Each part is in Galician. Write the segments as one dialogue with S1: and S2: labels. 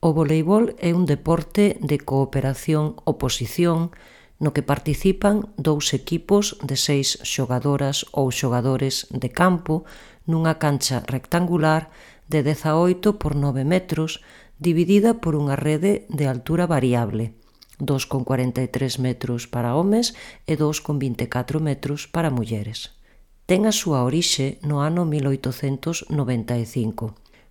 S1: O voleibol é un deporte de cooperación-oposición no que participan 2 equipos de 6 xogadoras ou xogadores de campo nunha cancha rectangular de 18 por 9 metros dividida por unha rede de altura variable, 2,43 metros para homes e 2,24 metros para mulleres. Ten a súa orixe no ano 1895.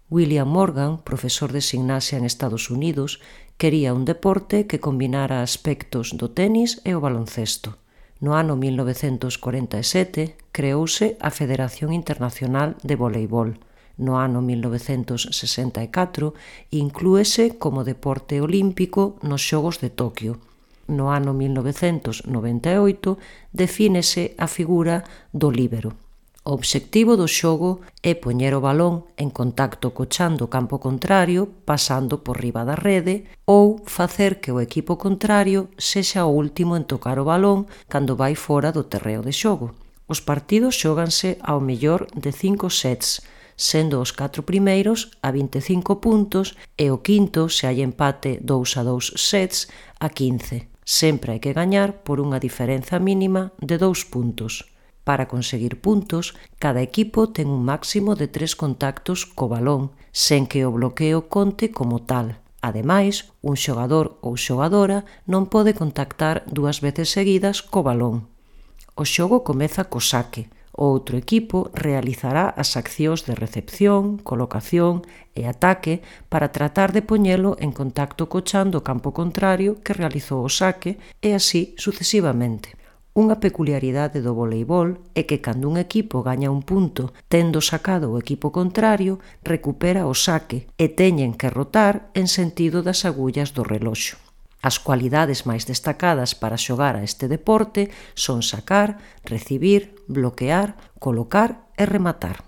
S1: William Morgan, profesor de gimnasia en Estados Unidos, quería un deporte que combinara aspectos do tenis e o baloncesto. No ano 1947 creouse a Federación Internacional de Voleibol. No ano 1964 inclúese como deporte olímpico nos Xogos de Toquio. No ano 1998 defínese a figura do líbero. O obxectivo do xogo é poñer o balón en contacto co chan do campo contrario pasando por riba da rede ou facer que o equipo contrario sexa o último en tocar o balón cando vai fora do terreo de xogo. Os partidos xóganse ao mellor de 5 sets, sendo os 4 primeiros a 25 puntos e o quinto, se hai empate 2-2 sets, a 15. Sempre hai que gañar por unha diferenza mínima de 2 puntos. Para conseguir puntos, cada equipo ten un máximo de 3 contactos co balón, sen que o bloqueo conte como tal. Ademais, un xogador ou xogadora non pode contactar 2 veces seguidas co balón. O xogo comeza co saque. O outro equipo realizará as accións de recepción, colocación e ataque para tratar de poñelo en contacto co chan do campo contrario que realizou o saque e así sucesivamente. Unha peculiaridade do voleibol é que cando un equipo gaña un punto tendo sacado o equipo contrario, recupera o saque e teñen que rotar en sentido das agullas do reloxo. As cualidades máis destacadas para xogar a este deporte son sacar, recibir, bloquear, colocar e rematar.